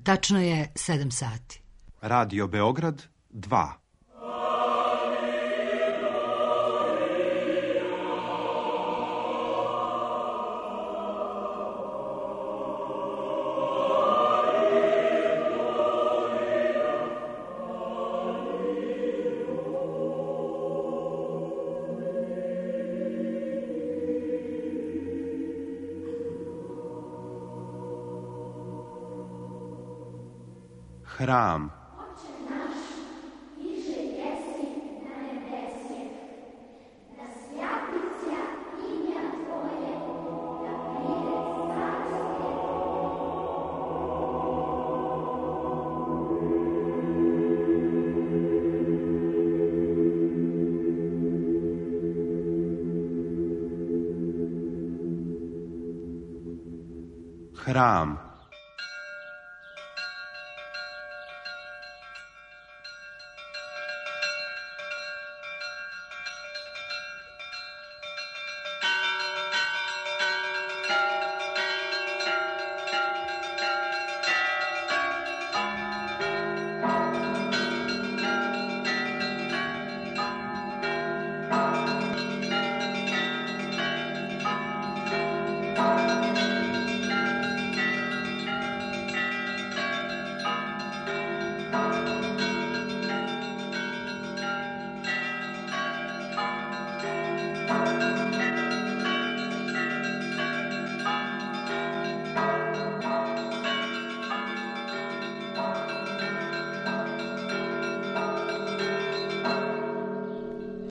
Tačno je 7 sati. Radio Beograd 2. Hram. Hram.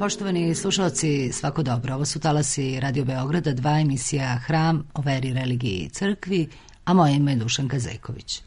Poštovani slušalci, svako dobro. Ovo su talasi Radio Beograda 2, emisija Hram o veri, religiji i crkvi, a moje ime je Dušanka Zejković.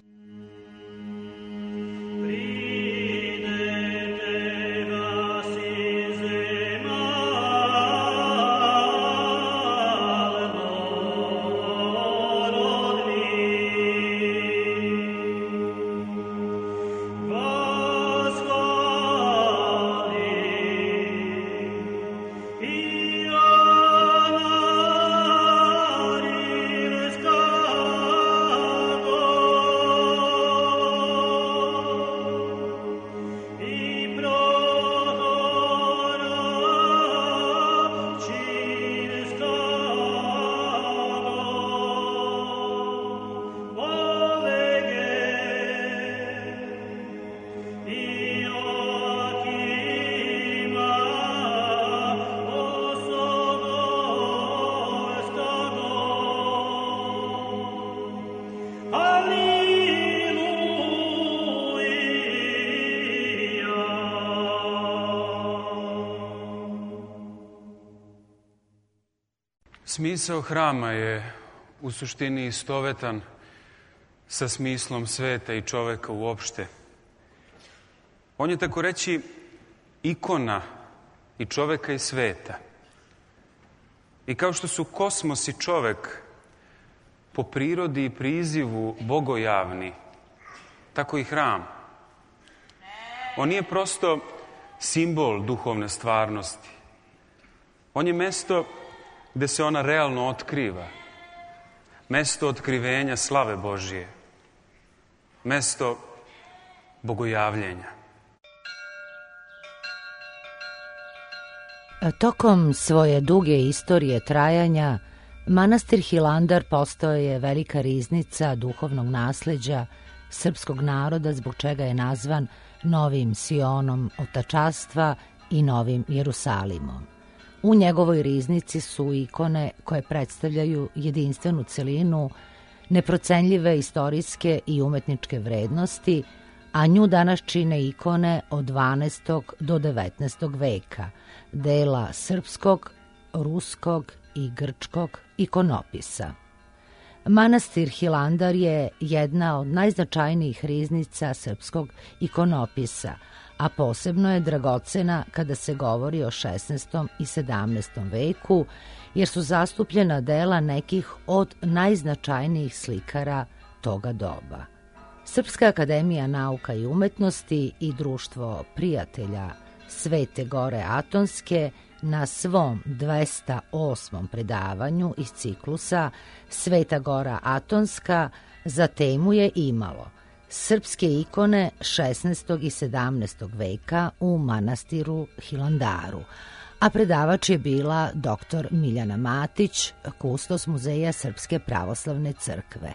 Smisao hrama je u suštini istovetan sa smislom sveta i čoveka uopšte. On je, tako reći, ikona i čoveka i sveta. I kao što su kosmos i čovek po prirodi i prizivu bogojavni, tako i hram. On nije prosto simbol duhovne stvarnosti. On je mesto gde se ona realno otkriva. Mesto otkrivenja slave Božije. Mesto bogojavljenja. Tokom svoje duge istorije trajanja, manastir Hilandar postao je velika riznica duhovnog nasleđa srpskog naroda, zbog čega je nazvan Novim Sionom otačastva i Novim Jerusalimom. U njegovoj riznici su ikone koje predstavljaju jedinstvenu celinu, neprocenljive istorijske i umetničke vrednosti, a nju danas čine ikone od 12. do 19. veka, dela srpskog, ruskog i grčkog ikonopisa. Manastir Hilandar je jedna od najznačajnijih riznica srpskog ikonopisa, a posebno je dragocena kada se govori o 16. i 17. veku, jer su zastupljena dela nekih od najznačajnijih slikara toga doba. Srpska akademija nauka i umetnosti i Društvo prijatelja Svete Gore Atonske na svom 208. predavanju iz ciklusa Sveta Gora Atonska za temu je imalo srpske ikone 16. i 17. veka u manastiru Hilandaru, a predavač je bila dr. Miljana Matić, kustos Muzeja Srpske pravoslavne crkve.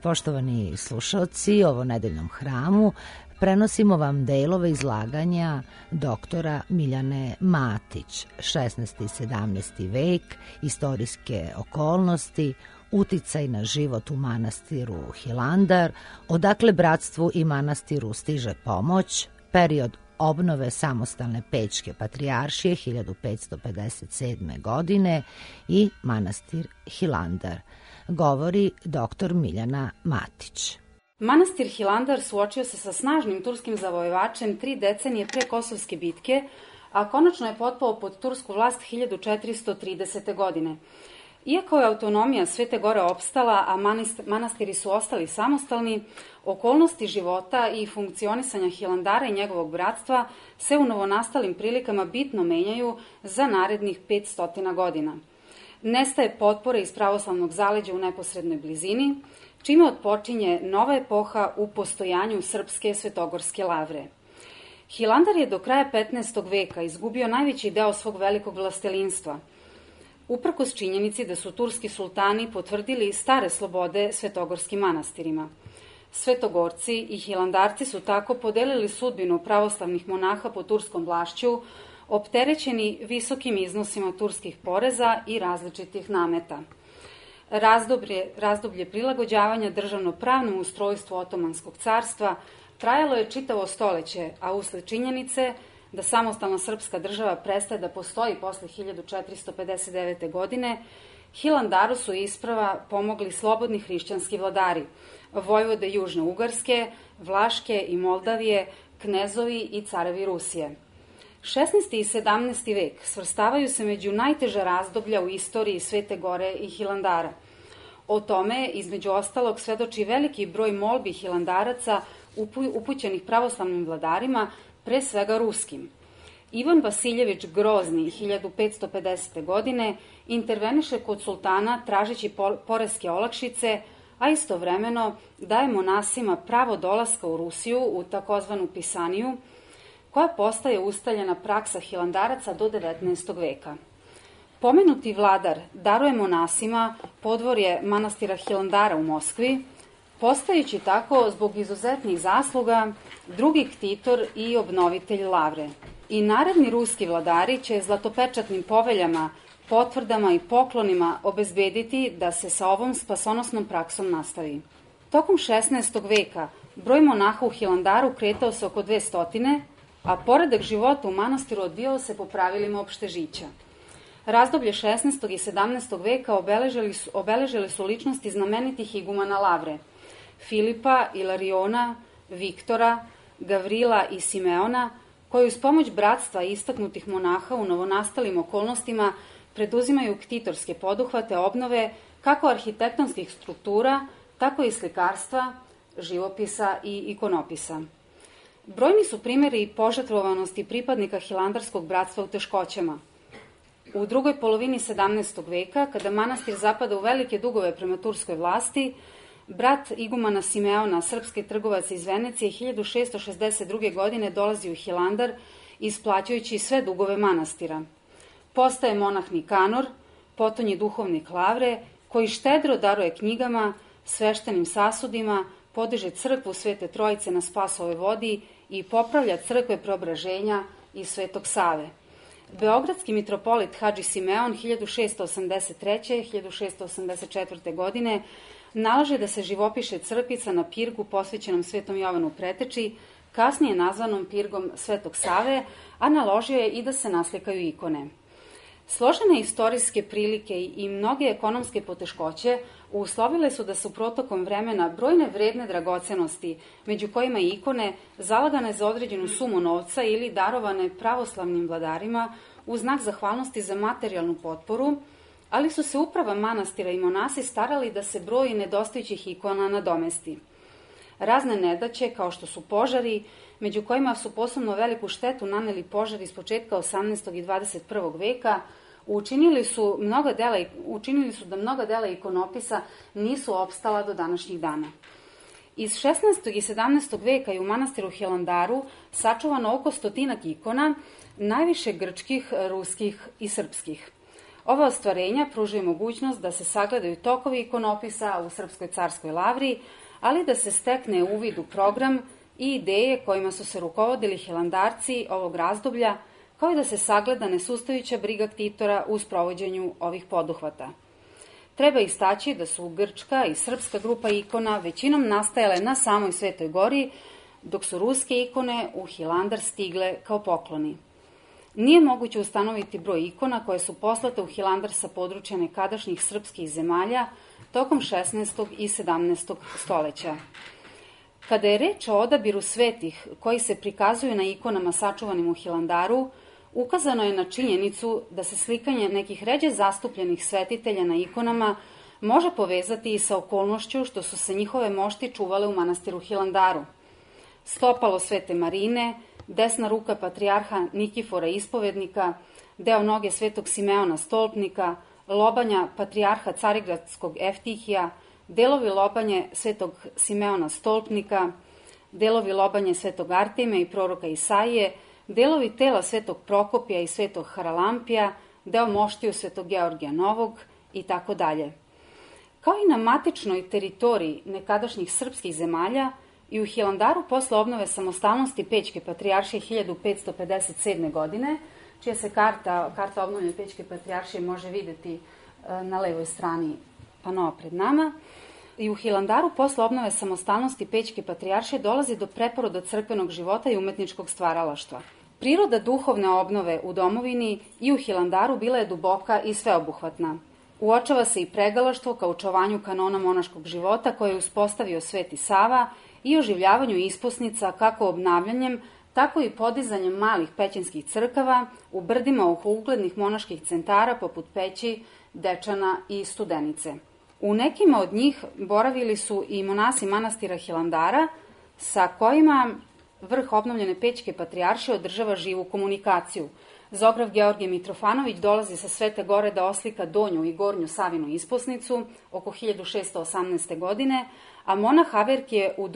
Poštovani slušaoci, ovo nedeljnom hramu prenosimo vam delove izlaganja doktora Miljane Matić, 16. i 17. vek, istorijske okolnosti, uticaj na život u manastiru Hilandar, odakle bratstvu i manastiru stiže pomoć, period obnove samostalne Pećke patrijaršije 1557. godine i manastir Hilandar. Govori dr. Miljana Matić. Manastir Hilandar suočio se sa snažnim turskim zavojevačem 3 decenije pre Kosovske bitke, a konačno je potpao pod tursku vlast 1430. godine. Iako je autonomija Svete Gore opstala, a manastiri su ostali samostalni, okolnosti života i funkcionisanja Hilandara i njegovog bratstva se u novonastalim prilikama bitno menjaju za narednih 500 godina. Nestaje potpore iz pravoslavnog zaleđa u neposrednoj blizini, čime otpočinje nova epoha u postojanju Srpske svetogorske lavre. Hilandar je do kraja 15. veka izgubio najveći deo svog velikog vlastelinstva, uprkos činjenici da su turski sultani potvrdili stare slobode svetogorskim manastirima. Svetogorci i Hilandarci su tako podelili sudbinu pravoslavnih monaha pod turskom vlašću, opterećeni visokim iznosima turskih poreza i različitih nameta. Razdoblje prilagođavanja državno-pravnom ustrojstvu Otomanskog carstva trajalo je čitavo stoleće, a usled činjenice da samostalna srpska država prestaje da postoji posle 1459. godine, Hilandaru su isprava pomogli slobodni hrišćanski vladari, vojvode Južne Ugarske, Vlaške i Moldavije, knezovi i carevi Rusije. 16. i 17. vek svrstavaju se među najteža razdoblja u istoriji Svete Gore i Hilandara. O tome, između ostalog, svedoči veliki broj molbi Hilandaraca upućenih pravoslavnim vladarima, pre svega ruskim. Ivan Vasiljević Grozni 1550. godine interveniše kod sultana tražeći poreske olakšice, a istovremeno daje monasima pravo dolaska u Rusiju u takozvanu Pisaniju, koja postaje ustaljena praksa Hilandaraca do 19. veka. Pomenuti vladar daruje monasima podvorje manastira Hilandara u Moskvi, postajući tako zbog izuzetnih zasluga drugi ktitor i obnovitelj lavre. I naredni ruski vladari će zlatopečatnim poveljama, potvrdama i poklonima obezbediti da se sa ovom spasonosnom praksom nastavi. Tokom 16. veka broj monaha u Hilandaru kretao se oko 200, a poredak života u manastiru odvijao se po pravilima opštežića. Razdoblje 16. i 17. veka obeležili su ličnosti znamenitih igumana lavre, Filipa, Ilariona, Viktora, Gavrila i Simeona, koji uz pomoć bratstva i istaknutih monaha u novonastalim okolnostima preduzimaju ktitorske poduhvate obnove kako arhitektonskih struktura, tako i slikarstva, živopisa i ikonopisa. Brojni su primjeri požrtvovanosti pripadnika Hilandarskog bratstva u teškoćama. U drugoj polovini 17. veka, kada manastir zapada u velike dugove prema turskoj vlasti, brat igumana Simeona, srpski trgovac iz Venecije, 1662. godine dolazi u Hilandar, isplaćujući sve dugove manastira. Postaje monah Nikanor, potonji duhovnik lavre, koji štedro daruje knjigama, sveštenim sasudima, podiže crkvu Svete Trojice na Spasovoj vodi i popravlja crkve Preobraženja i Svetog Save. Beogradski mitropolit Hadži Simeon 1683-1684. godine nalaže da se živopiše crkvica na pirgu posvećenom Svetom Jovanu Preteči, kasnije nazvanom pirgom Svetog Save, a naložio je i da se naslikaju ikone. Složene istorijske prilike i mnoge ekonomske poteškoće uslovile su da su protokom vremena brojne vredne dragocenosti, među kojima i ikone, zalagane za određenu sumu novca ili darovane pravoslavnim vladarima u znak zahvalnosti za materijalnu potporu, ali su se uprava manastira i monasi starali da se broj nedostajućih ikona nadomesti. Razne nedaće, kao što su požari, među kojima su posebno veliku štetu naneli požari iz početka 18. i 21. veka, učinili su da mnoga dela ikonopisa nisu opstala do današnjih dana. Iz 16. i 17. veka je u manastiru Hilandaru sačuvano oko 100 ikona, najviše grčkih, ruskih i srpskih. Ova ostvarenja pružaju mogućnost da se sagledaju tokovi ikonopisa u Srpskoj carskoj lavri, ali da se stekne uvid u program i ideje kojima su se rukovodili hilandarci ovog razdoblja, kao i da se sagleda nesustajuća briga ktitora u sprovođenju ovih poduhvata. Treba istaći da su grčka i srpska grupa ikona većinom nastajale na samoj Svetoj gori, dok su ruske ikone u Hilandar stigle kao pokloni. Nije moguće ustanoviti broj ikona koje su poslate u Hilandar sa područja nekadašnjih srpskih zemalja tokom 16. i 17. stoleća. Kada je reč o odabiru svetih koji se prikazuju na ikonama sačuvanim u Hilandaru, ukazano je na činjenicu da se slikanje nekih ređe zastupljenih svetitelja na ikonama može povezati i sa okolnošću što su se njihove mošti čuvale u manastiru Hilandaru. Stopalo Svete Marine, desna ruka patrijarha Nikifora Ispovednika, deo noge Svetog Simeona Stolpnika, lobanja patrijarha Carigradskog Eftihija, delovi lobanje Svetog Simeona Stolpnika, delovi lobanje Svetog Artemija i proroka Isaije, delovi tela Svetog Prokopija i Svetog Haralampija, deo moštiju Svetog Georgija Novog i tako dalje. Kao i na matičnoj teritoriji nekadašnjih srpskih zemalja, i u Hilandaru posle obnove samostalnosti Pećke patrijaršije 1557. godine, čija se karta obnovljene Pećke patrijaršije može videti na levoj strani panoa pred nama, i u Hilandaru posle obnove samostalnosti Pećke patrijaršije dolazi do preporoda crkvenog života i umetničkog stvaralaštva. Priroda duhovne obnove u domovini i u Hilandaru bila je duboka i sveobuhvatna. Uočava se i pregalaštvo ka očuvanju kanona monaškog života koje je uspostavio Sveti Sava i oživljavanju isposnica kako obnavljanjem, tako i podizanjem malih pećinskih crkava u brdima oko uglednih monaških centara poput Peći, Dečana i Studenice. U nekima od njih boravili su i monasi manastira Hilandara, sa kojima vrh obnovljene Pećke patrijaršije održava živu komunikaciju. Zograf Georgije Mitrofanović dolazi sa Svete Gore da oslika donju i gornju Savinu isposnicu oko 1618. godine, a monah Averkije u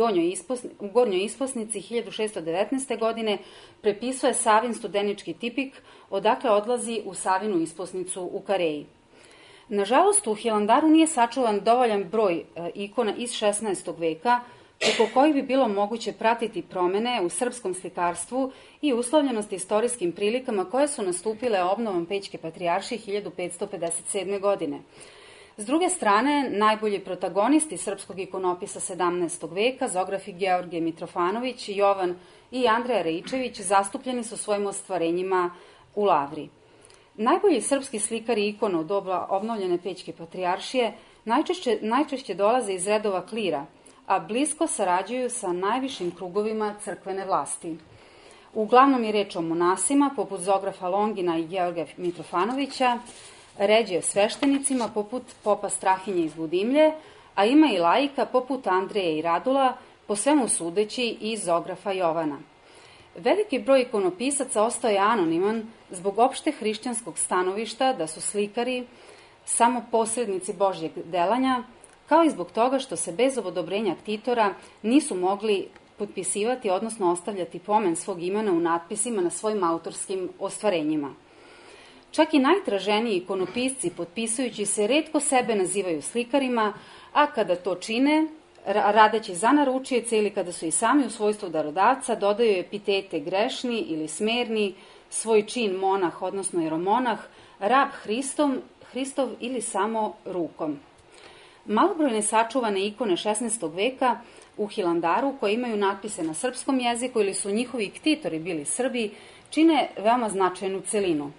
gornjoj isposnici 1619. godine prepisuje Savin studenički tipik, odakle odlazi u Savinu isposnicu u Kareji. Nažalost, u Hilandaru nije sačuvan dovoljan broj ikona iz 16. veka, preko kojih bi bilo moguće pratiti promene u srpskom slikarstvu i uslovljenosti istorijskim prilikama koje su nastupile obnovom Pećke patrijaršije 1557. godine. S druge strane, najbolji protagonisti srpskog ikonopisa 17. veka, zografi Georgije Mitrofanović, Jovan i Andreja Rejčević, zastupljeni su svojim ostvarenjima u Lavri. Najbolji srpski slikari ikona u doba obnovljene Pećke patrijaršije najčešće dolaze iz redova klira, a blisko sarađuju sa najvišim krugovima crkvene vlasti. Uglavnom je reč o monasima, poput zografa Longina i Georgija Mitrofanovića, ređe sveštenicima, poput popa Strahinje iz Budimlje, a ima i laika, poput Andreja i Radula, po svemu sudeći i zografa Jovana. Veliki broj ikonopisaca ostao je anoniman zbog opšte hrišćanskog stanovišta da su slikari samo posrednici Božjeg delanja, kao i zbog toga što se bez odobrenja ktitora nisu mogli potpisivati, odnosno ostavljati pomen svog imena u natpisima na svojim autorskim ostvarenjima. Čak i najtraženiji ikonopisci, potpisujući se, retko sebe nazivaju slikarima, a kada to čine, radeći za naručioce ili kada su i sami u svojstvu darodavca, dodaju epitete grešni ili smerni, svoj čin monah, odnosno jeromonah, rab Hristov ili samo rukom. Malobrojne sačuvane ikone 16. veka u Hilandaru, koje imaju natpise na srpskom jeziku ili su njihovi ktitori bili Srbi, čine veoma značajnu celinu.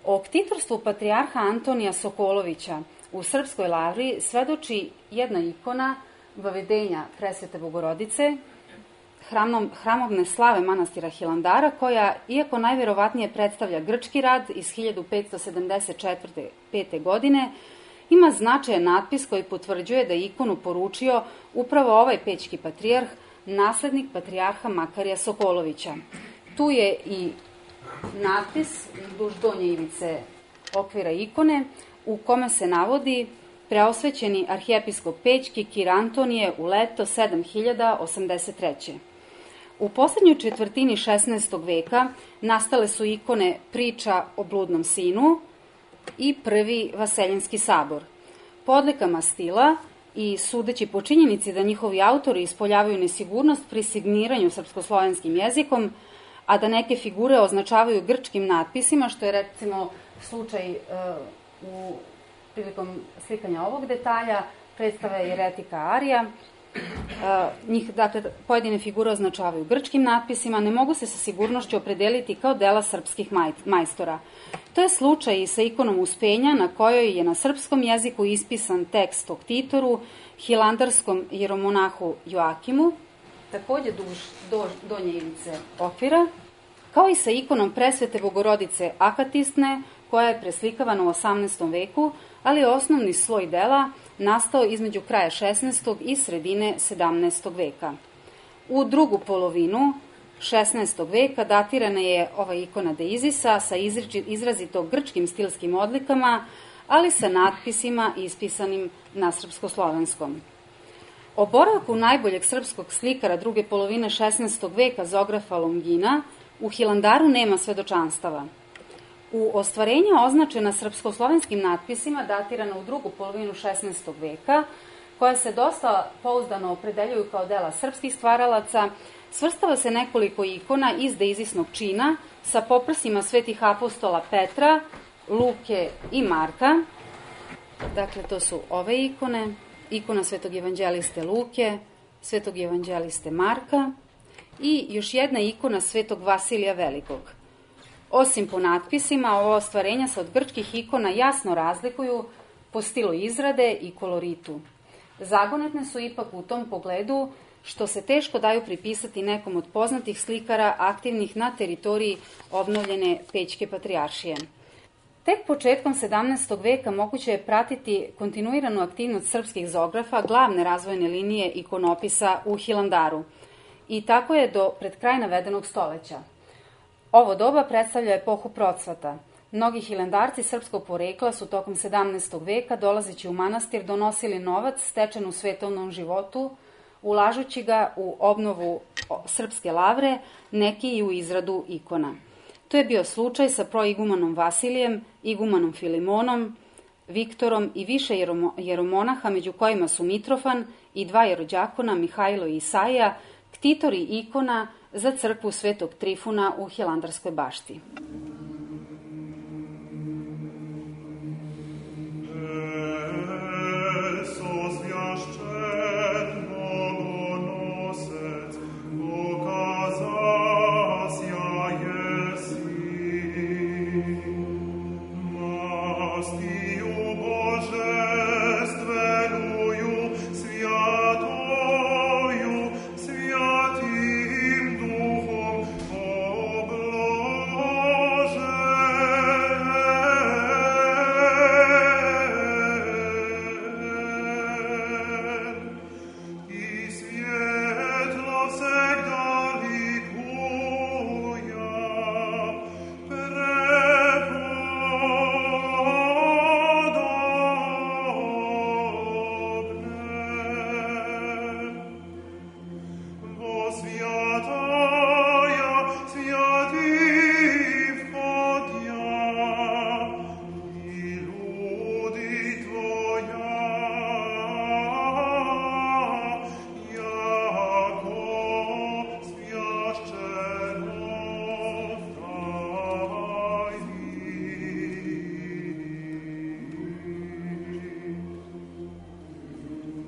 O ktitorstvu patrijarha Antonija Sokolovića u Srpskoj lavri svedoči jedna ikona Vavedenja Presvete Bogorodice, hramovne slave manastira Hilandara, koja, iako najverovatnije predstavlja grčki rad iz 1574. godine, ima značajan natpis koji potvrđuje da je ikonu poručio upravo ovaj pećki patrijarh, naslednik patrijarha Makarija Sokolovića. Tu je i natpis duž donje ivice okvira ikone u kome se navodi preosvećeni arhijepiskop Pećki Kir Antonije u leto 7083. U poslednjoj četvrtini 16. veka nastale su ikone Priča o bludnom sinu i Prvi Vaseljenski sabor. Po odlikama stila i sudeći po činjenici da njihovi autori ispoljavaju nesigurnost pri signiranju srpskoslovenskim jezikom, a da neke figure označavaju grčkim natpisima, što je recimo slučaj prilikom slikanja ovog detalja, predstave Jeretika Arija. Njih, dakle, pojedine figure označavaju grčkim natpisima, ne mogu se sa sigurnošću opredeliti kao dela srpskih majstora. To je slučaj i sa ikonom Uspenja, na kojoj je na srpskom jeziku ispisan tekst o ktitoru, hilandarskom jeromonahu Joakimu, takođe duž donje ivice okvira, kao i sa ikonom Presvete Bogorodice Akatisne, koja je preslikavana u 18. veku, ali je osnovni sloj dela nastao između kraja 16. i sredine 17. veka. U drugu polovinu 16. veka datirana je ova ikona Deizisa sa izrazito grčkim stilskim odlikama, ali sa natpisima ispisanim na srpskoslovenskom. O boravku najboljeg srpskog slikara druge polovine 16. veka Zografa Longina u Hilandaru nema svedočanstava. U ostvarenja označena srpskoslovenskim natpisima datirana u drugu polovinu 16. veka, koja se dosta pouzdano opredeljuju kao dela srpskih stvaralaca, svrstava se nekoliko ikona iz deizisnog čina sa poprsima svetih apostola Petra, Luke i Marka. Dakle, to su ove ikone, ikona svetog evanđeliste Luke, svetog evanđeliste Marka i još jedna ikona svetog Vasilija Velikog. Osim po natpisima, ova ostvarenja se od grčkih ikona jasno razlikuju po stilu izrade i koloritu. Zagonetne su ipak u tom pogledu što se teško daju pripisati nekom od poznatih slikara aktivnih na teritoriji obnovljene Pećke patrijaršije. Tek početkom 17. veka moguće je pratiti kontinuiranu aktivnost srpskih zografa, glavne razvojne linije ikonopisa u Hilandaru. I tako je do pred kraj navedenog stoleća. Ovo doba predstavlja epohu procvata. Mnogi hilandarci srpskog porekla su tokom 17. veka, dolazeći u manastir, donosili novac stečen u svetovnom životu, ulažući ga u obnovu srpske lavre, neki i u izradu ikona. To je bio slučaj sa proigumanom Vasilijem, igumanom Filimonom, Viktorom i više jeromonaha, među kojima su Mitrofan i dva jerođakona, Mihajlo i Isaija, ktitori ikona za crkvu Svetog Trifuna u Hilandarskoj bašti.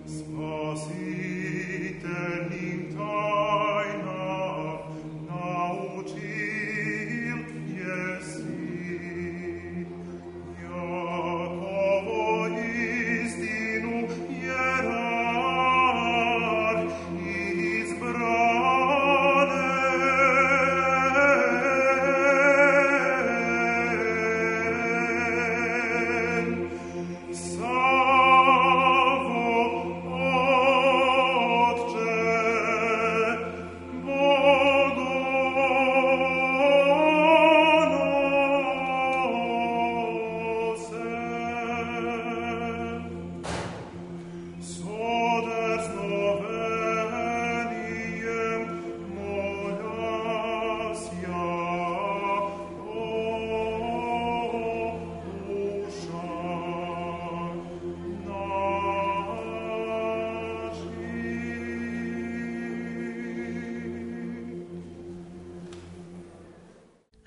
Spasitelnim tajna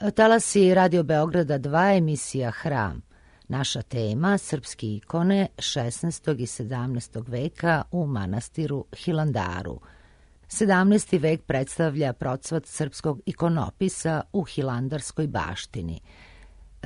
Talasi Radio Beograda 2, emisija Hram. Naša tema, srpske ikone 16. i 17. veka u manastiru Hilandaru. 17. vek predstavlja procvat srpskog ikonopisa u hilandarskoj baštini.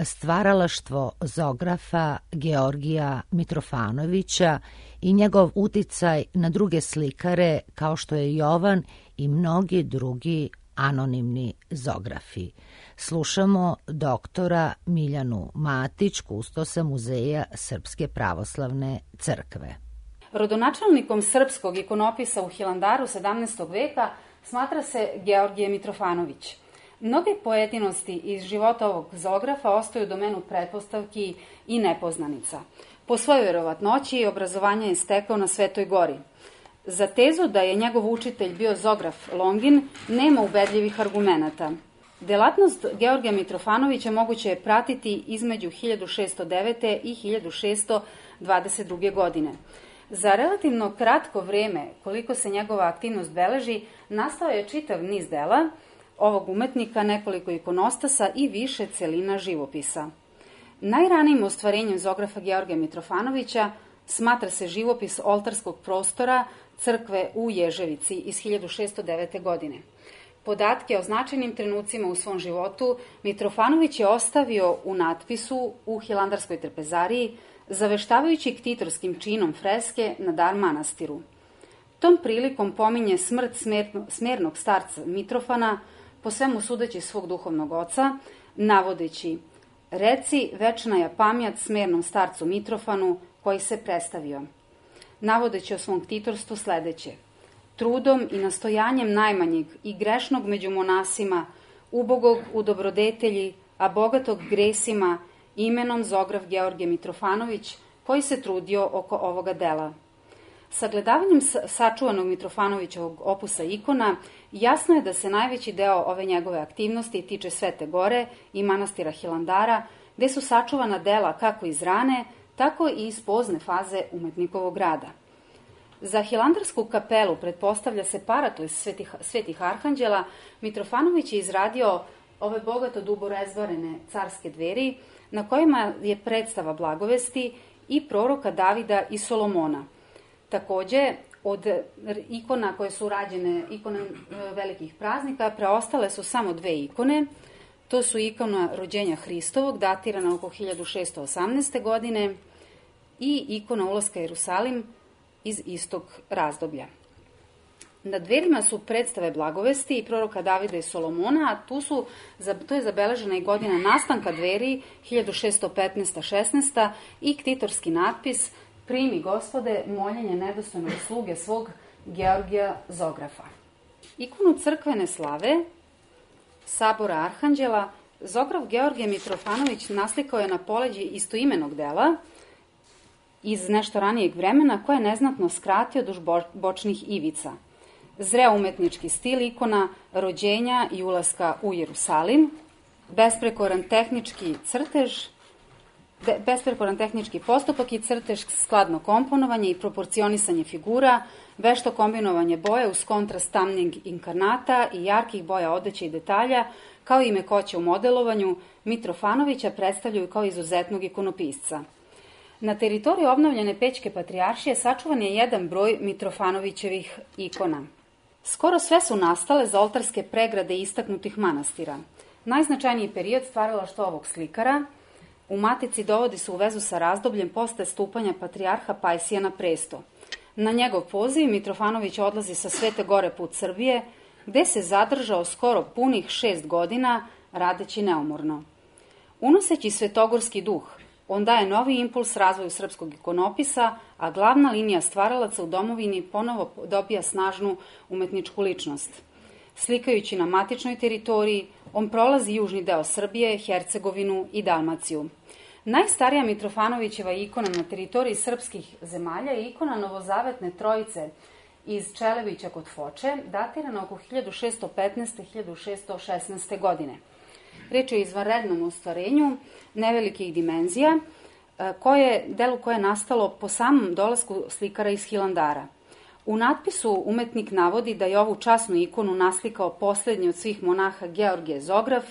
Stvaralaštvo Zografa Georgija Mitrofanovića i njegov uticaj na druge slikare kao što je Jovan i mnogi drugi anonimni zografi. Slušamo doktora Miljanu Matić, kustosa Muzeja Srpske pravoslavne crkve. Rodonačelnikom srpskog ikonopisa u Hilandaru 17. veka smatra se Georgije Mitrofanović. Mnoge pojedinosti iz života ovog zografa ostaju u domenu pretpostavki i nepoznanica. Po svojoj vjerovatnoći obrazovanje je stekao na Svetoj gori. Za tezu da je njegov učitelj bio zograf Longin nema ubedljivih argumenata. Delatnost Georgija Mitrofanovića moguće je pratiti između 1609. i 1622. godine. Za relativno kratko vreme, koliko se njegova aktivnost beleži, nastao je čitav niz dela ovog umetnika, nekoliko ikonostasa i više celina živopisa. Najranijim ostvarenjem zografa Georgija Mitrofanovića smatra se živopis oltarskog prostora crkve u Ježevici iz 1609. godine. Podatke o značajnim trenucima u svom životu Mitrofanović je ostavio u natpisu u Hilandarskoj trpezariji, zaveštavajući ktitorskim činom freske na dar manastiru. Tom prilikom pominje smrt smernog starca Mitrofana, po svemu sudeći svog duhovnog oca, navodeći: reci, večna je pamjat smernom starcu Mitrofanu koji se predstavio. Navodeći o svom ktitorstvu sledeće: trudom i nastojanjem najmanjeg i grešnog među monasima, ubogog u dobrodetelji, a bogatog gresima, imenom zograf Georgije Mitrofanović, koji se trudio oko ovoga dela. Sagledavanjem sačuvanog Mitrofanovićevog opusa ikona, jasno je da se najveći deo ove njegove aktivnosti tiče Svete gore i manastira Hilandara, gde su sačuvana dela kako iz rane, tako i iz pozne faze umetnikovog rada. Za Hilandarsku kapelu pretpostavlja se paratoj svetih arhanđela. Mitrofanović je izradio ove bogato duborezbarene carske dveri, na kojima je predstava blagovesti i proroka Davida i Solomona. Takođe, od ikona koje su rađene, ikone velikih praznika, preostale su samo dve ikone. To su ikona rođenja Hristovog, datirana oko 1618. godine, i ikona ulaska Jerusalim iz istog razdoblja. Na dverima su predstave blagovesti i proroka Davida i Solomona, a to je zabeležena i godina nastanka dveri, 1615-16, i ktitorski natpis: primi, Gospode, moljenje nedostojnog sluge svog Georgija zografa. Ikonu crkvene slave, sabora Arhanđela, zograf Georgije Mitrofanović naslikao je na poleđi istoimenog dela iz nešto ranijeg vremena, koje je neznatno skratio duž bočnih ivica. Zreo umetnički stil ikona rođenja i ulaska u Jerusalim, besprekoran tehnički postupak i crtež, skladno komponovanje i proporcionisanje figura, vešto kombinovanje boja uz kontrast tamnijeg inkarnata i jarkih boja odeće i detalja, kao i mekoće u modelovanju, Mitrofanovića predstavljaju kao izuzetnog ikonopisca. Na teritoriji obnovljene Pećke patrijaršije sačuvan je jedan broj Mitrofanovićevih ikona. Skoro sve su nastale za oltarske pregrade istaknutih manastira. Najznačajniji period stvaralaštva ovog slikara u Matici dovodi se u vezu sa razdobljem posle stupanja patrijarha Pajsija na presto. Na njegov poziv Mitrofanović odlazi sa Svete gore put Srbije, gde se zadržao skoro punih 6 godina, radeći neumorno. Unoseći svetogorski duh, on daje novi impuls razvoju srpskog ikonopisa, a glavna linija stvaralaca u domovini ponovo dobija snažnu umetničku ličnost. Slikajući na matičnoj teritoriji, on prolazi južni deo Srbije, Hercegovinu i Dalmaciju. Najstarija Mitrofanovićeva ikona na teritoriji srpskih zemalja je ikona Novozavetne trojice iz Čelevića kod Foče, datirana oko 1615-1616. godine. Reč je o izvanrednom ostvarenju nevelikih dimenzija, delu koje je nastalo po samom dolasku slikara iz Hilandara. U natpisu umetnik navodi da je ovu časnu ikonu naslikao poslednji od svih monaha Georgije zograf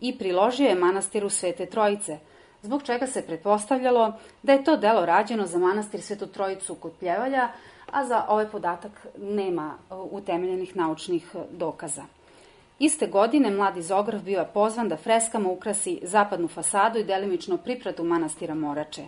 i priložio je manastiru Svete Trojice, zbog čega se pretpostavljalo da je to delo rađeno za manastir Svetu Trojicu kod Pljevalja, a za ovaj podatak nema utemeljenih naučnih dokaza. Iste godine mladi Zograf bio je pozvan da freskama ukrasi zapadnu fasadu i delimično pripratu manastira Morače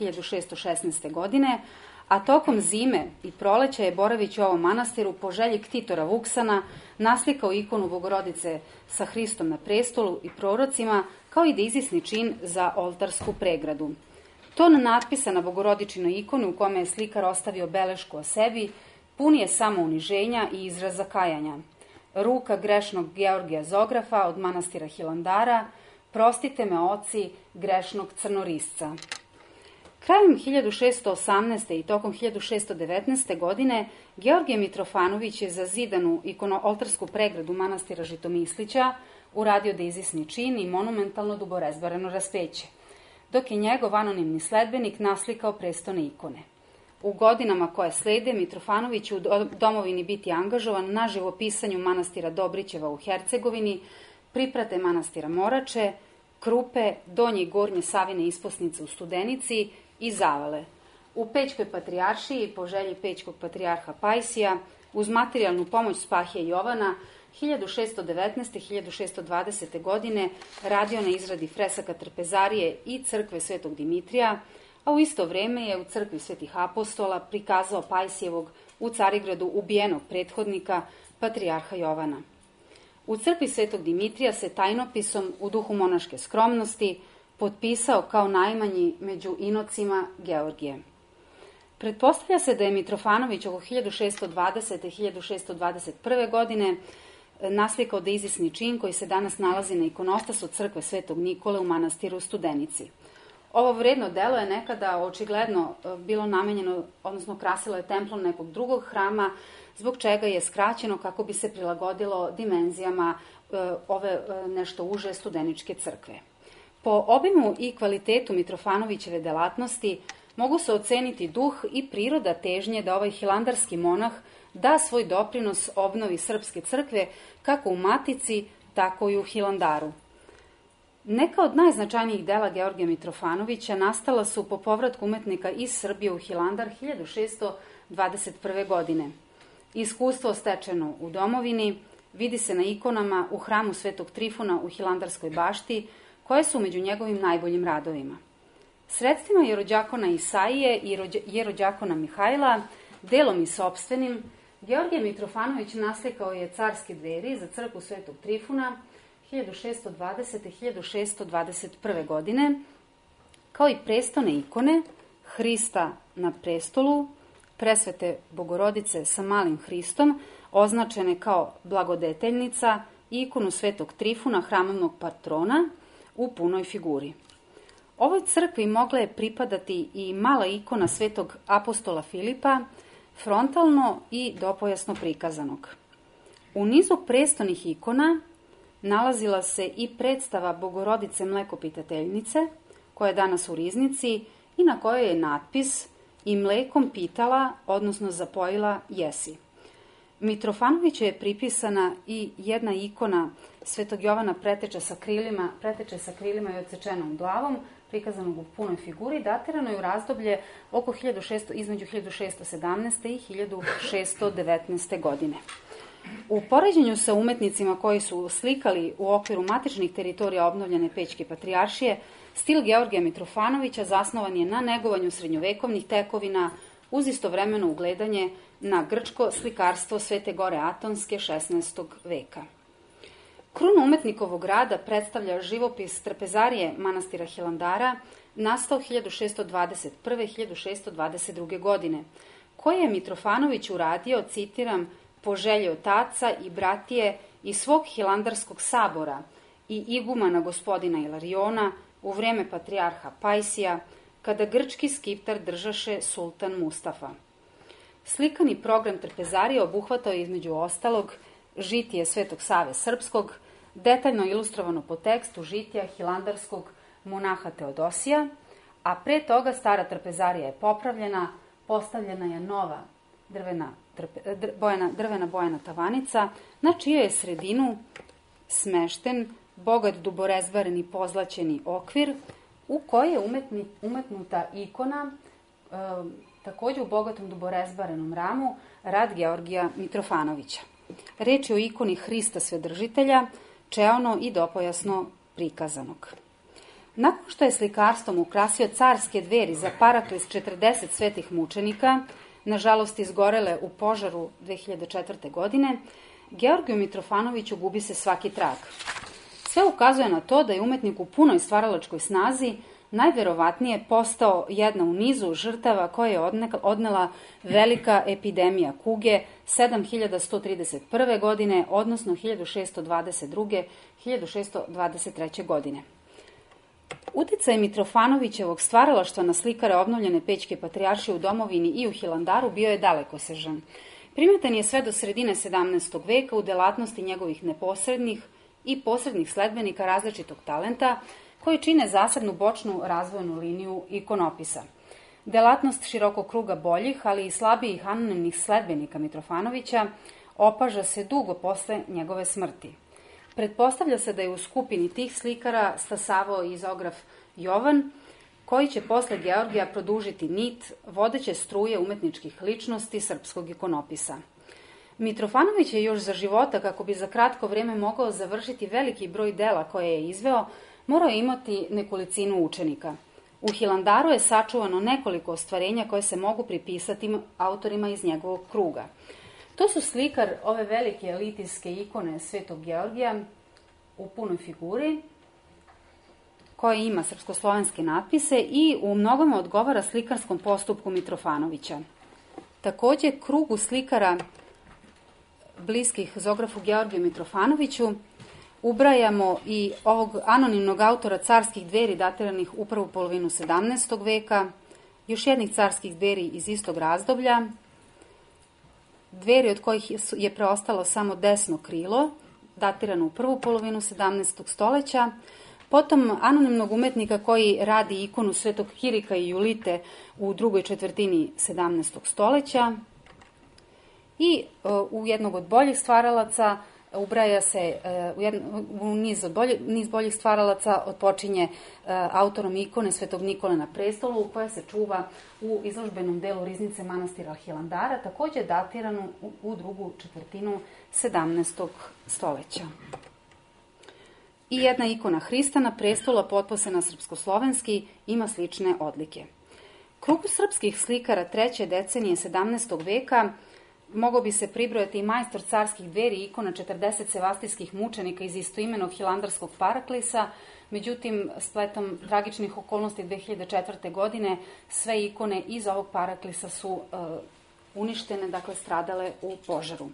1616. godine, a tokom zime i proleća je boravić u ovom manastiru po želji ktitora Vuksana naslikao ikonu Bogorodice sa Hristom na prestolu i prorocima, kao i dizisni čin za oltarsku pregradu. Ton natpisa na Bogorodičinoj ikoni u kome je slikar ostavio belešku o sebi pun je samo uniženja i izraza kajanja. Ruka grešnog Georgija Zografa od manastira Hilandara, prostite me oci grešnog crnorisca. Krajem 1618. i tokom 1619. godine Georgije Mitrofanović je za zidanu ikono-oltarsku pregradu manastira Žitomislića uradio dizisni čin i monumentalno duborezbareno raspeće, dok je njegov anonimni sledbenik naslikao prestone ikone. U godinama koje slede, Mitrofanović će u domovini biti angažovan na živopisanju manastira Dobrićeva u Hercegovini, priprate manastira Morače, Krupe, Donje i Gornje Savine isposnice u Studenici i Zavale. U Pećkoj patrijaršiji, po želji Pećkog patrijarha Pajsija, uz materijalnu pomoć Spahije Jovana, 1619. i 1620. godine radio na izradi fresaka trpezarije i crkve Svetog Dimitrija, a u isto vreme je u crkvi Svetih apostola prikazao Pajsijevog u Carigradu ubijenog prethodnika, patrijarha Jovana. U crkvi Svetog Dimitrija se tajnopisom u duhu monaške skromnosti potpisao kao najmanji među inocima Georgije. Pretpostavlja se da je Mitrofanović oko 1620. i 1621. godine naslikao dizisni čin koji se danas nalazi na ikonostasu crkve Svetog Nikole u manastiru Studenici. Ovo vredno delo je nekada očigledno bilo namenjeno, odnosno krasilo je templom nekog drugog hrama, zbog čega je skraćeno kako bi se prilagodilo dimenzijama ove nešto uže studeničke crkve. Po obimu i kvalitetu Mitrofanovićeve delatnosti mogu se oceniti duh i priroda težnje da ovaj hilandarski monah da svoj doprinos obnovi srpske crkve kako u Matici, tako i u Hilandaru. Neka od najznačajnijih dela Georgija Mitrofanovića nastala su po povratku umetnika iz Srbije u Hilandar 1621. godine. Iskustvo stečeno u domovini vidi se na ikonama u hramu Svetog Trifuna u Hilandarskoj bašti, koje su među njegovim najboljim radovima. Sredstvima jerođakona Isaije i jerođakona Mihajla, delom i sopstvenim, Georgije Mitrofanović naslikao je carske dveri za crkvu Svetog Trifuna 1620. i 1621. godine, kao i prestone ikone Hrista na prestolu, presvete Bogorodice sa malim Hristom, označene kao blagodeteljnica, i ikonu Svetog Trifuna, hramovnog patrona, u punoj figuri. Ovoj crkvi mogla je pripadati i mala ikona Svetog apostola Filipa, frontalno i dopojasno prikazanog. U nizu prestonih ikona nalazila se i predstava Bogorodice Mlekopitateljnice, koja je danas u riznici i na kojoj je natpis "I mlekom pitala, odnosno zapojila jesi". Mitrofanoviću je pripisana i jedna ikona Svetog Jovana preteče sa krilima i odsečenom glavom, prikazanog u punoj figuri, datirano je u razdoblje između 1617. i 1619. godine. U poređenju sa umetnicima koji su slikali u okviru matičnih teritorija obnovljene Pećke patrijaršije, stil Georgija Mitrofanovića zasnovan je na negovanju srednjovekovnih tekovina uz istovremeno ugledanje na grčko slikarstvo Svete Gore Atonske 16. veka. Krunu umetnikovog rada predstavlja živopis trpezarije manastira Hilandara, nastao 1621. i 1622. godine, koje je Mitrofanović uradio, citiram, po želji otaca i bratije i svog hilandarskog sabora i igumana gospodina Ilariona u vreme patrijarha Pajsija, kada grčki skiptar držaše sultan Mustafa. Slikani program trpezarije obuhvatao je između ostalog žitije Svetog Save Srpskog, detaljno ilustrovano po tekstu žitija hilandarskog monaha Teodosija, a pre toga stara trpezarija je popravljena, postavljena je nova drvena bojana tavanica, na čiju je sredinu smešten bogat duborezbareni pozlaćeni okvir u koji je umetnuta ikona, takođe u bogatom duborezbarenom ramu, rad Georgija Mitrofanovića. Reč je o ikoni Hrista Svedržitelja, čeono i dopojasno prikazanog. Nakon što je slikarstvom ukrasio carske dveri za paraklis 40 svetih mučenika, nažalost izgorele u požaru 2004. godine, Georgiju Mitrofanoviću gubi se svaki trag. Sve ukazuje na to da je umetnik u punoj stvaralačkoj snazi najverovatnije postao jedna u nizu žrtava koje je odnela velika epidemija kuge 7131. godine, odnosno 1622-1623. godine. Uticaj Mitrofanovićevog stvaralaštva na slikare obnovljene Pećke patrijaršije u domovini i u Hilandaru bio je dalekosežan. Primetan je sve do sredine 17. veka u delatnosti njegovih neposrednih i posrednih sledbenika različitog talenta, koji čine zasebnu bočnu razvojnu liniju ikonopisa. Delatnost širokog kruga boljih, ali i slabijih anonimnih sledbenika Mitrofanovića opaža se dugo posle njegove smrti. Pretpostavlja se da je u skupini tih slikara stasavao i izograf Jovan, koji će posle Georgija produžiti nit vodeće struje umetničkih ličnosti srpskog ikonopisa. Mitrofanović je još za života, kako bi za kratko vreme mogao završiti veliki broj dela koje je izveo, morao je imati nekolicinu učenika. U Hilandaru je sačuvano nekoliko ostvarenja koje se mogu pripisati autorima iz njegovog kruga. To su slikar ove velike litijske ikone Svetog Georgija u punoj figuri, koja ima srpskoslovenske natpise i u mnogome odgovara slikarskom postupku Mitrofanovića. Takođe, krugu slikara bliskih zografu Georgiju Mitrofanoviću ubrajamo i ovog anonimnog autora carskih dveri datiranih u prvu polovinu 17. veka, još jednih carskih dveri iz istog razdoblja, dveri od kojih je preostalo samo desno krilo, datirano u prvu polovinu 17. stoleća, potom anonimnog umetnika koji radi ikonu Svetog Kirika i Julite u drugoj četvrtini 17. stoleća i u jednog od boljih stvaralaca ubraja se u niz boljih stvaralaca odpočinje autorom ikone Svetog Nikole na prestolu, koja se čuva u izložbenom delu riznice manastira Hilandara, takođe datiranu u drugu četvrtinu 17. stoleća. I jedna ikona Hrista na prestolu, potposena srpskoslovenski, ima slične odlike. Krugu srpskih slikara treće decenije 17. veka mogao bi se pribrojati i majstor carskih dveri ikona 40 sevastijskih mučenika iz istoimenog hilandarskog paraklisa, međutim, spletom tragičnih okolnosti 2004. godine sve ikone iz ovog paraklisa su uništene, dakle stradale u požaru.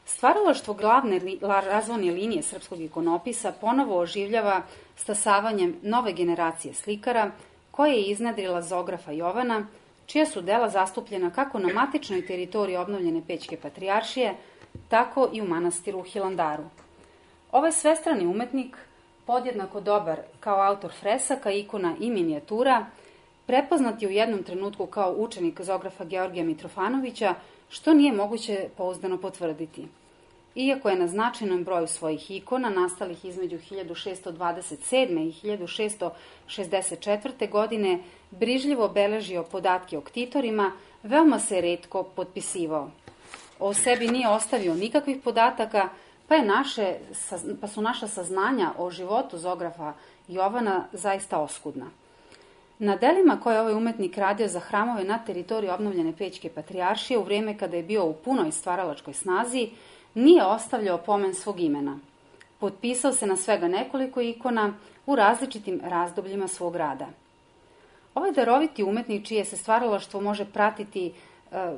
Stvaralaštvo glavne razvojne linije srpskog ikonopisa ponovo oživljava stasavanjem nove generacije slikara, koje je iznedrila zografa Jovana, čija su dela zastupljena kako na matičnoj teritoriji obnovljene Pećke patrijaršije, tako i u manastiru u Hilandaru. Ovaj svestrani umetnik, podjednako dobar kao autor fresaka, ikona i minijatura, prepoznat je u jednom trenutku kao učenik zografa Georgija Mitrofanovića, što nije moguće pouzdano potvrditi. Iako je na značajnom broju svojih ikona, nastalih između 1627. i 1664. godine, brižljivo beležio podatke o ktitorima, veoma se retko potpisivao. O sebi nije ostavio nikakvih podataka, pa su naša saznanja o životu zografa Jovana zaista oskudna. Na delima koje je ovaj umetnik radio za hramove na teritoriji obnovljene Pećke patrijaršije u vrijeme kada je bio u punoj stvaralačkoj snazi, nije ostavljao pomen svog imena. Potpisao se na svega nekoliko ikona u različitim razdobljima svog rada. Ovaj daroviti umetnik, čije se stvaralaštvo može pratiti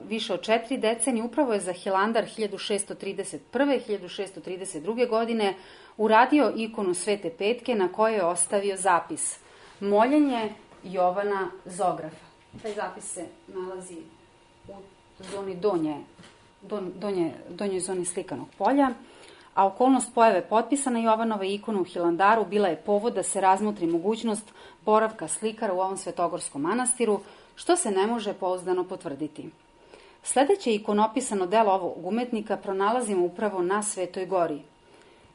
više od 4 decenije, upravo je za Hilandar 1631. i 1632. godine uradio ikonu Svete Petke na kojoj je ostavio zapis Moljenje Jovana zografa. Taj zapis se nalazi u zoni donjoj zoni slikanog polja, a okolnost pojave potpisa na Jovanove ikonu u Hilandaru bila je povod da se razmotri mogućnost boravka slikara u ovom svetogorskom manastiru, što se ne može pouzdano potvrditi. Sledeće ikonopisano delo ovog umetnika pronalazimo upravo na Svetoj gori.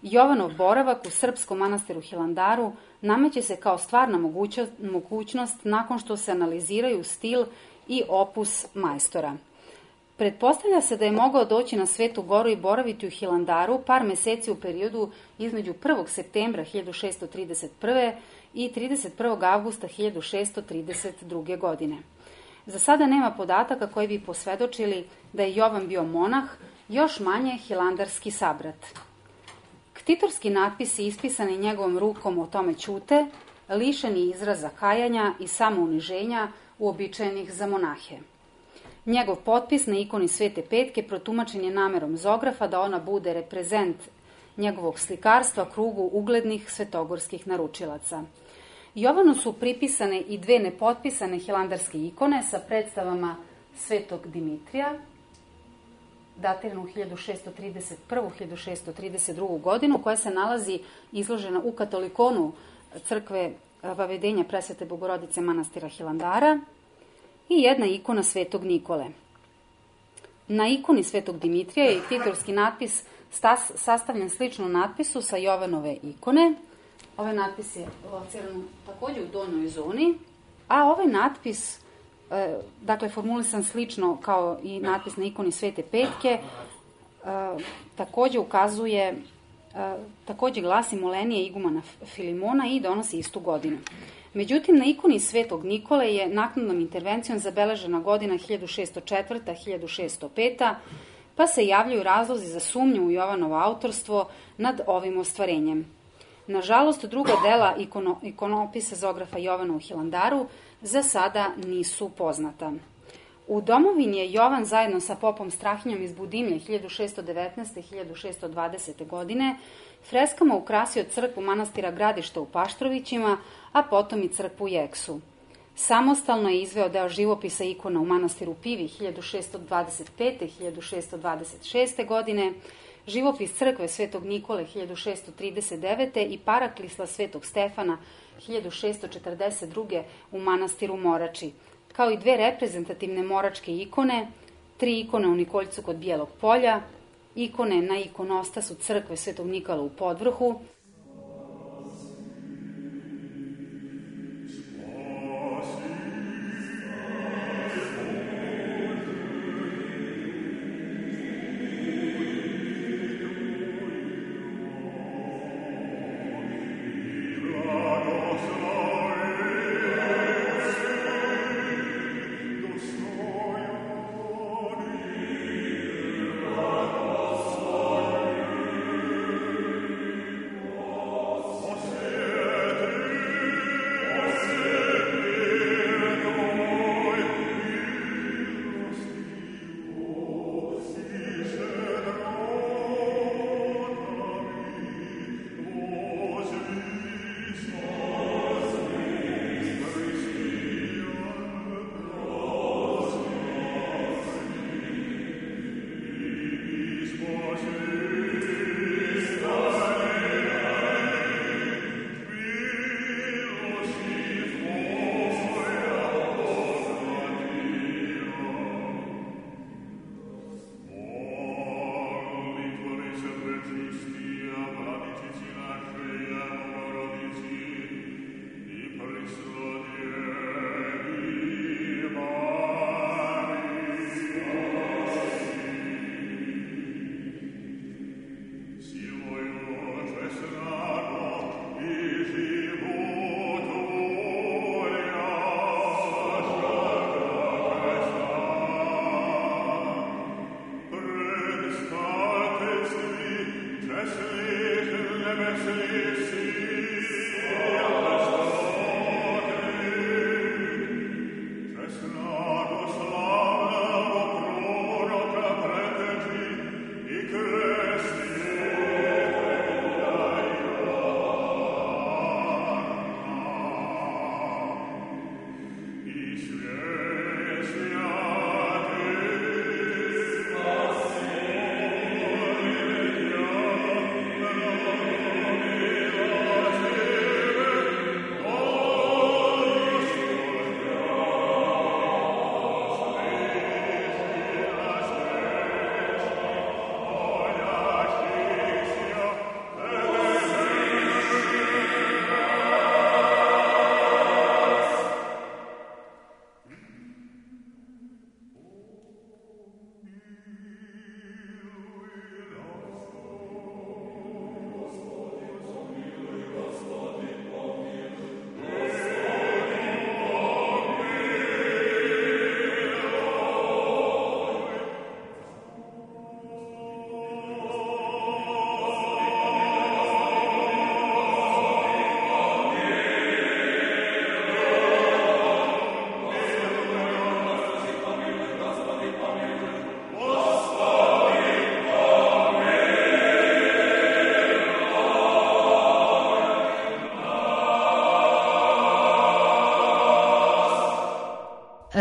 Jovanov boravak u srpskom manastiru Hilandaru nameće se kao stvarna mogućnost nakon što se analiziraju stil i opus majstora. Pretpostavlja se da je mogao doći na Svetu Goru i boraviti u Hilandaru par meseci u periodu između 1. septembra 1631. i 31. avgusta 1632. godine. Za sada nema podataka koji bi posvedočili da je Jovan bio monah, još manje hilandarski sabrat. Ktitorski natpisi ispisani njegovom rukom o tome ćute, lišeni izraza kajanja i samouniženja uobičajenih za monahe. Njegov potpis na ikoni Svete Petke protumačen je namerom Zografa da ona bude reprezent njegovog slikarstva krugu uglednih svetogorskih naručilaca. Jovanu su pripisane i dve nepotpisane hilandarske ikone sa predstavama Svetog Dimitrija, datiranu 1631-1632. godinu, koja se nalazi izložena u katolikonu crkve Vavedenja Presvete Bogorodice manastira Hilandara, i jedna ikona Svetog Nikole. Na ikoni Svetog Dimitrija je ktitorski natpis sastavljen slično natpisu sa Jovanove ikone. Ovaj natpis je lociran takođe u donjoj zoni, a ovaj natpis, dakle formulisan slično kao i natpis na ikoni Svete Petke, takođe glasi molenije igumana Filimona i donosi istu godinu. Međutim, na ikoni Svetog Nikole je naknadnom intervencijom zabeležena godina 1604-1605, pa se javljaju razlozi za sumnju u Jovanovo autorstvo nad ovim ostvarenjem. Nažalost, druga dela ikonopisa Zografa Jovana u Hilandaru za sada nisu poznata. U domovini je Jovan zajedno sa popom Strahinjom iz Budimlje 1619. i 1620. godine freskama ukrasio crkvu manastira Gradišta u Paštrovićima, a potom i crkvu Jeksu. Samostalno je izveo deo živopisa ikona u manastiru Pivi 1625. i 1626. godine, živopis crkve Svetog Nikole 1639. i paraklisla Svetog Stefana 1642. u manastiru Morači, kao i dve reprezentativne moračke ikone, 3 ikone u Nikoljcu kod Bijelog polja, ikone na ikonostasu crkve Svetog Nikola u Podvrhu,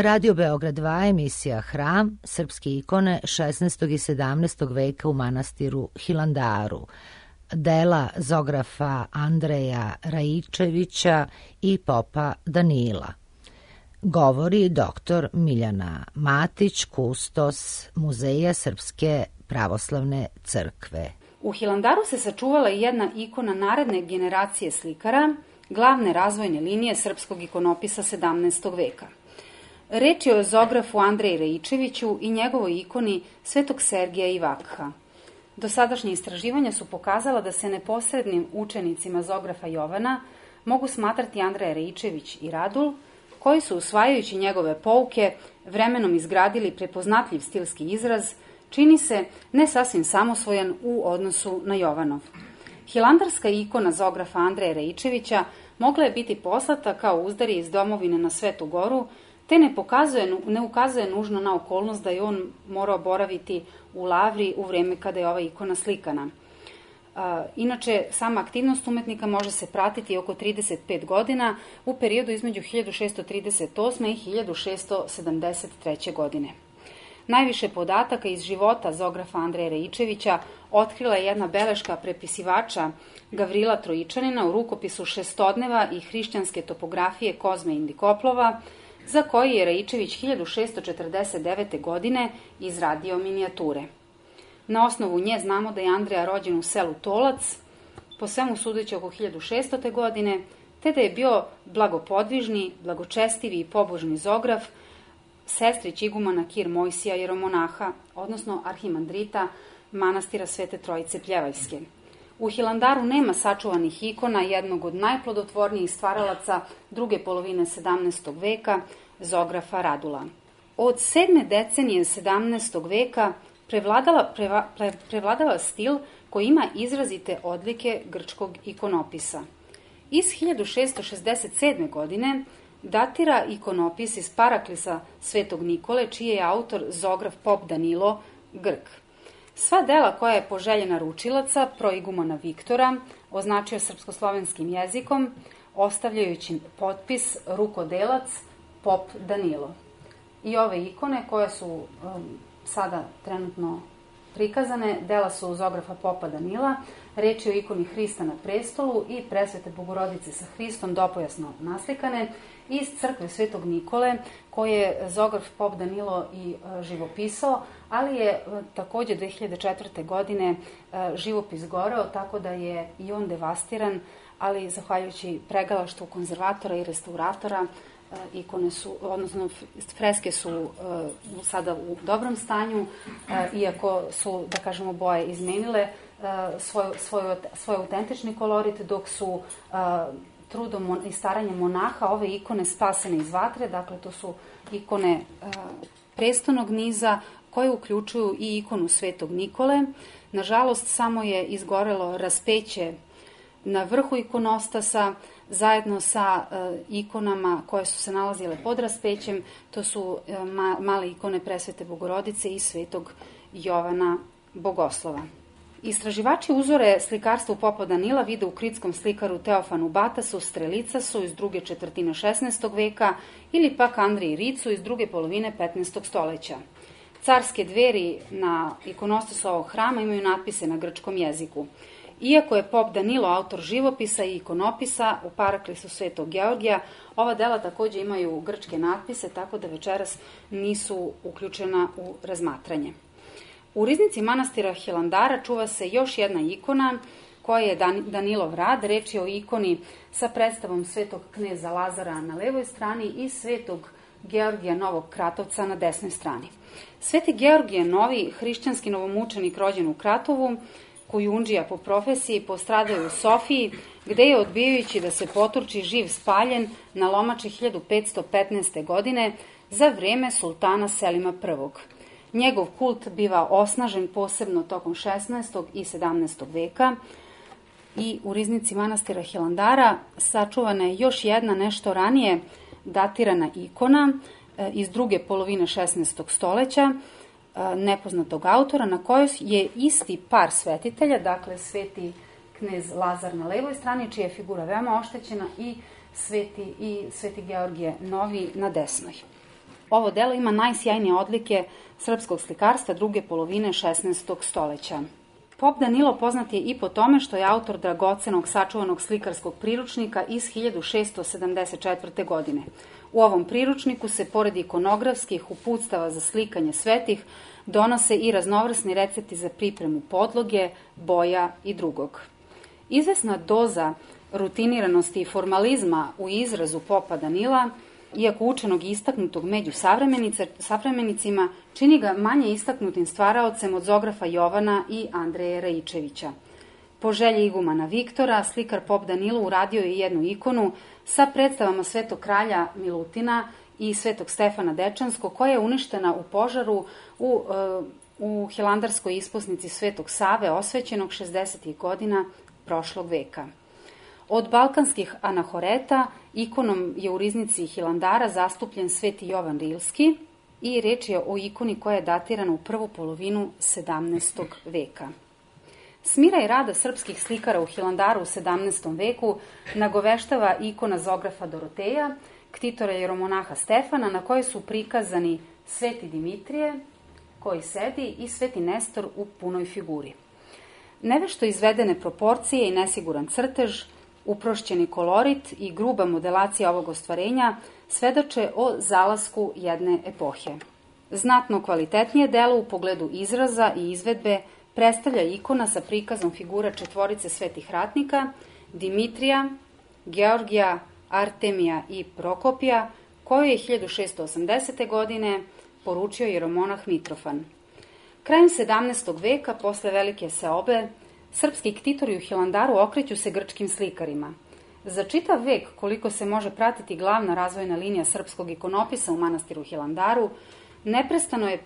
Radio Beograd 2, emisija Hram, srpske ikone 16. i 17. veka u manastiru Hilandaru. Dela zografa Andreja Raičevića i popa Danila. Govori dr. Miljana Matić, kustos Muzeja Srpske pravoslavne crkve. U Hilandaru se sačuvala i jedna ikona naredne generacije slikara, glavne razvojne linije srpskog ikonopisa 17. veka. Reč je o zografu Andreji Raičeviću i njegovoj ikoni Svetog Sergija i Vakha. Dosadašnje istraživanja su pokazala da se neposrednim učenicima zografa Jovana mogu smatrati Andreja Raičević i Radul, koji su, usvajajući njegove pouke, vremenom izgradili prepoznatljiv stilski izraz, čini se ne sasvim samosvojan u odnosu na Jovanov. Hilandarska ikona zografa Andreja Raičevića mogla je biti poslata kao uzdarje iz domovine na Svetu Goru, te ne ukazuje nužno na okolnost da je on morao boraviti u Lavri u vreme kada je ova ikona slikana. Inače, sama aktivnost umetnika može se pratiti oko 35 godina u periodu između 1638. i 1673. godine. Najviše podataka iz života zografa Andreja Raičevića otkrila je jedna beleška prepisivača Gavrila Trojičanina u rukopisu Šestodneva i hrišćanske topografije Kozme Indikoplova, za koji je Raičević 1649. godine izradio minijature. Na osnovu nje znamo da je Andreja rođen u selu Tolac, po svemu sudeći oko 1600. godine, te da je bio blagopodvižni, blagočestivi i pobožni zograf, sestrić igumana Kir Mojsija jeromonaha, odnosno arhimandrita manastira Svete Trojice Pljevaljske. U Hilandaru nema sačuvanih ikona jednog od najplodotvornijih stvaralaca druge polovine 17. veka, zografa Radula. Od 7. decenije 17. veka prevladava stil koji ima izrazite odlike grčkog ikonopisa. Iz 1667. godine datira ikonopis iz Paraklisa Svetog Nikole, čiji je autor zograf pop Danilo, Grk. Sva dela koja je poželjena ručilaca, proigumana Viktora, označio srpskoslovenskim jezikom, ostavljajući potpis rukodelac pop Danilo. I ove ikone koje su sada trenutno prikazane, dela su zografa popa Danila, reč je o ikoni Hrista na prestolu i Presvete Bogorodice sa Hristom dopojasno naslikane iz crkve Svetog Nikole, koje je zograf pop Danilo i živopisao, ali je takođe 2004. godine živopis goreo, tako da je i on devastiran, ali zahvaljujući pregalaštvu konzervatora i restauratora, ikone su, odnosno freske su sada u dobrom stanju, iako su, da kažemo, boje izmenile svoj autentični kolorit, dok su trudom i staranjem monaha ove ikone spasene iz vatre. Dakle, to su ikone prestonog niza koje uključuju i ikonu Svetog Nikole. Nažalost, samo je izgorelo raspeće na vrhu ikonostasa, zajedno sa ikonama koje su se nalazile pod raspećem. To su male ikone Presvete Bogorodice i Svetog Jovana Bogoslova. Istraživači uzore slikarstva popa Danila vide u kritskom slikaru Teofanu Batasu, Strelicasu iz druge četvrtine 16. veka ili pak Andriji Ricu iz druge polovine 15. stoleća. Carske dveri na ikonostasu ovog hrama imaju natpise na grčkom jeziku. Iako je pop Danilo autor živopisa i ikonopisa u Paraklisu Svetog Georgija, ova dela takođe imaju grčke natpise, tako da večeras nisu uključena u razmatranje. U riznici manastira Hilandara čuva se još jedna ikona koja je Danilov rad. Reč je o ikoni sa predstavom Svetog kneza Lazara na levoj strani i Svetog Georgija Novog Kratovca na desnoj strani. Sveti Georgije Novi, hrišćanski novomučenik rođen u Kratovu, kujundžija po profesiji, postradao u Sofiji, gde je, odbijajući da se poturči, živ spaljen na lomači 1515. godine za vreme sultana Selima I. Njegov kult biva osnažen posebno tokom 16. i 17. veka i u riznici manastira Hilandara sačuvana je još jedna nešto ranije datirana ikona iz druge polovine 16. stoleća, nepoznatog autora, na kojoj je isti par svetitelja, dakle sveti knez Lazar na levoj strani, čija je figura veoma oštećena, i sveti Georgije Novi na desnoj. Ovo delo ima najsjajnije odlike srpskog slikarstva druge polovine 16. stoleća. Pop Danilo poznat je i po tome što je autor dragocenog sačuvanog slikarskog priručnika iz 1674. godine. U ovom priručniku se, pored ikonografskih uputstava za slikanje svetih, donose i raznovrsni recepti za pripremu podloge, boja i drugog. Izvesna doza rutiniranosti i formalizma u izrazu popa Danila, iako učenog i istaknutog među savremenicima, čini ga manje istaknutim stvaraocem od Zografa Jovana i Andreje Raičevića. Po želji igumana Viktora, slikar pop Danilo uradio je jednu ikonu sa predstavama Svetog kralja Milutina i Svetog Stefana Dečanskog, koja je uništena u požaru u hilandarskoj ispusnici Svetog Save, osvećenog 60. godina prošlog veka. Od balkanskih anahoreta ikonom je u riznici Hilandara zastupljen Sveti Jovan Rilski i reč je o ikoni koja je datirana u prvu polovinu 17. veka. Smiraj rada srpskih slikara u Hilandaru u 17. veku nagoveštava ikona Zografa Doroteja, ktitora jeromonaha Stefana, na kojoj su prikazani Sveti Dimitrije, koji sedi, i Sveti Nestor u punoj figuri. Nevešto izvedene proporcije i nesiguran crtež, uprošćeni kolorit i gruba modelacija ovog ostvarenja svedoče o zalasku jedne epohe. Znatno kvalitetnije delo u pogledu izraza i izvedbe predstavlja ikona sa prikazom figura četvorice svetih ratnika, Dimitrija, Georgija, Artemija i Prokopija, koju je 1680. godine poručio jeromonah Mitrofan. Krajem 17. veka, posle velike seobe, srpski ktitori u Hilandaru okreću se grčkim slikarima. Za čitav vek, koliko se može pratiti glavna razvojna linija srpskog ikonopisa u manastiru Hilandaru,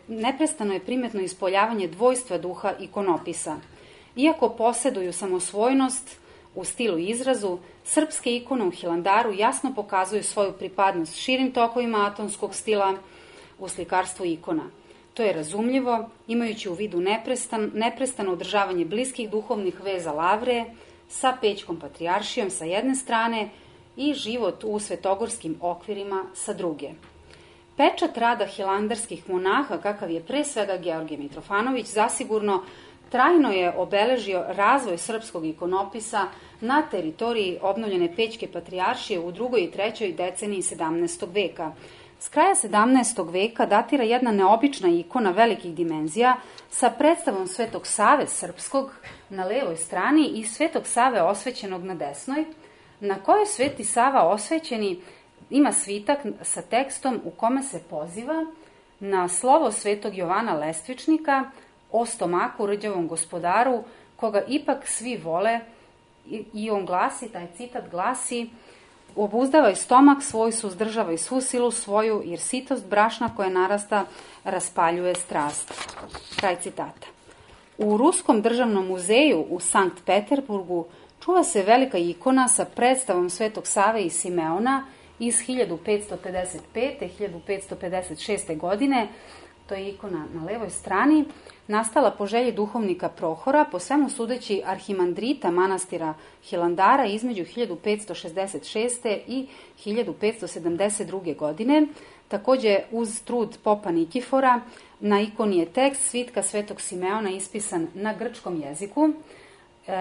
neprestano je primetno ispoljavanje dvojstva duha ikonopisa. Iako poseduju samosvojnost u stilu i izrazu, srpske ikone u Hilandaru jasno pokazuju svoju pripadnost širim tokovima atonskog stila u slikarstvu ikona. To je razumljivo, imajući u vidu neprestano održavanje bliskih duhovnih veza Lavre sa Pećkom patrijaršijom sa jedne strane i život u svetogorskim okvirima sa druge. Pečat rada hilandarskih monaha, kakav je pre svega Georgije Mitrofanović, zasigurno trajno je obeležio razvoj srpskog ikonopisa na teritoriji obnovljene Pećke patrijaršije u drugoj i trećoj deceniji 17. veka. S kraja 17. veka datira jedna neobična ikona velikih dimenzija sa predstavom Svetog Save srpskog na levoj strani i Svetog Save osvećenog na desnoj, na kojoj Sveti Sava osvećeni ima svitak sa tekstom u kome se poziva na slovo Svetog Jovana Lestvičnika o stomaku rđavom gospodaru, koga ipak svi vole, i on glasi, taj citat glasi: obuzdavaj stomak svoj, suzdržavaj svu silu svoju, jer sitost brašna koja narasta raspaljuje strast. Kraj citata. U Ruskom državnom muzeju u Sankt Peterburgu čuva se velika ikona sa predstavom Svetog Save i Simeona iz 1555. 1556. godine. To je ikona na levoj strani, nastala po želji duhovnika Prohora, po svemu sudeći arhimandrita manastira Hilandara između 1566. i 1572. godine. Takođe, uz trud popa Nikifora, na ikoni je tekst svitka Svetog Simeona ispisan na grčkom jeziku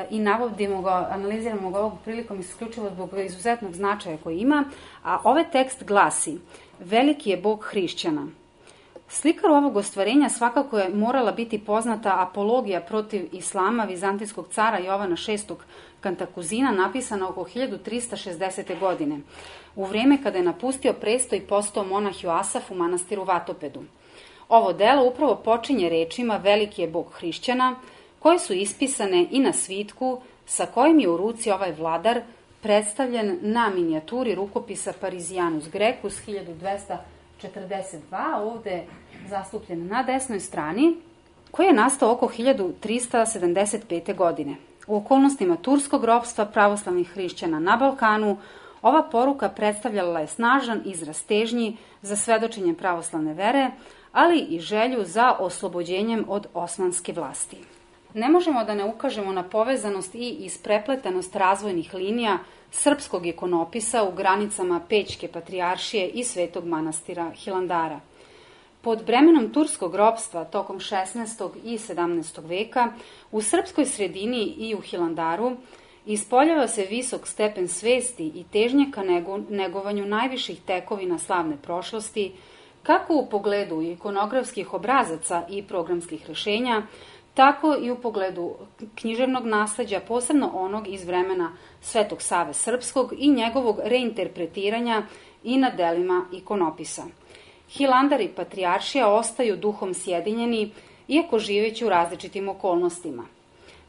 i navodimo ga, analiziramo ga ovog prilikom isključivo zbog izuzetnog značaja koji ima, a ovaj tekst glasi: veliki je Bog hrišćana. Slikaru ovog ostvarenja svakako je morala biti poznata apologija protiv islama vizantijskog cara Jovana VI. Kantakuzina, napisana oko 1360. godine, u vreme kada je napustio presto i postao monah Joasaf u manastiru Vatopedu. Ovo delo upravo počinje rečima veliki je Bog hrišćana, koje su ispisane i na svitku sa kojim je u ruci ovaj vladar predstavljen na minijaturi rukopisa Parisianus Grecus 1242, ovde zastupljen na desnoj strani, koji je nastao oko 1375. godine. U okolnostima turskog ropstva pravoslavnih hrišćana na Balkanu, ova poruka predstavljala je snažan izraz težnji za svedočenje pravoslavne vere, ali i želju za oslobođenjem od osmanske vlasti. Ne možemo da ne ukažemo na povezanost i isprepletanost razvojnih linija srpskog ikonopisa u granicama Pećke patrijaršije i Svetog manastira Hilandara. Pod bremenom turskog ropstva tokom 16. i 17. veka u srpskoj sredini i u Hilandaru ispoljava se visok stepen svesti i težnje ka negovanju najviših tekovina slavne prošlosti, kako u pogledu ikonografskih obrazaca i programskih rešenja, tako i u pogledu književnog nasleđa, posebno onog iz vremena Svetog Save Srpskog i njegovog reinterpretiranja i na delima ikonopisa. Hilandar i Patrijaršija ostaju duhom sjedinjeni, iako živeći u različitim okolnostima.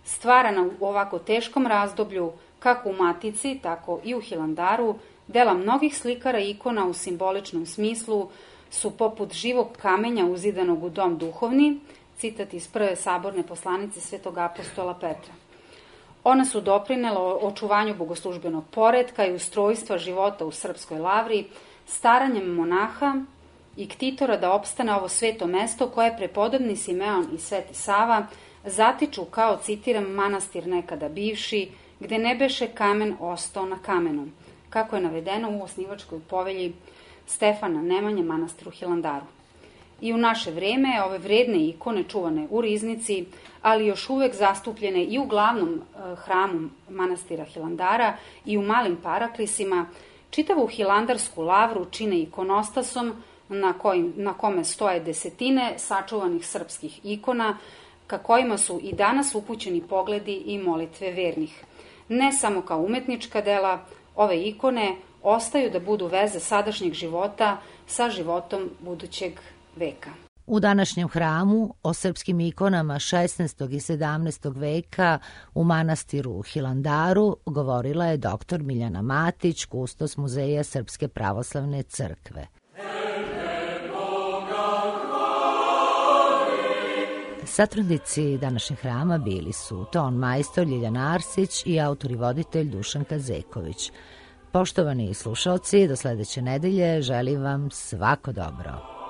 Stvarana u ovako teškom razdoblju, kako u Matici, tako i u Hilandaru, dela mnogih slikara i ikona u simboličnom smislu su poput živog kamenja uzidanog u dom duhovni, citat iz prve saborne poslanice svetog apostola Petra. Ona su doprinela očuvanju bogoslužbenog poretka i ustrojstva života u Srpskoj lavri, staranjem monaha i ktitora da opstane ovo sveto mesto koje prepodobni Simeon i Sveti Sava zatiču kao, citiram, manastir nekada bivši, gde ne beše kamen ostao na kamenu, kako je navedeno u osnivačkoj povelji Stefana Nemanje manastiru Hilandaru. I u naše vreme ove vredne ikone čuvane u riznici, ali još uvek zastupljene i u glavnom hramu manastira Hilandara i u malim paraklisima, čitavu hilandarsku lavru čine ikonostasom na kome stoje desetine sačuvanih srpskih ikona, ka kojima su i danas upućeni pogledi i molitve vernih. Ne samo kao umetnička dela, ove ikone ostaju da budu veze sadašnjeg života sa životom budućeg veka. U današnjem hramu o srpskim ikonama 16. i 17. veka u manastiru Hilandaru govorila je dr. Miljana Matić, kustos Muzeja Srpske pravoslavne crkve. Satrudnici današnjeg hrama bili su ton majstor Ljiljana Arsić i autor i voditelj Dušan Kazeković. Poštovani slušalci, do sledeće nedelje želim vam svako dobro.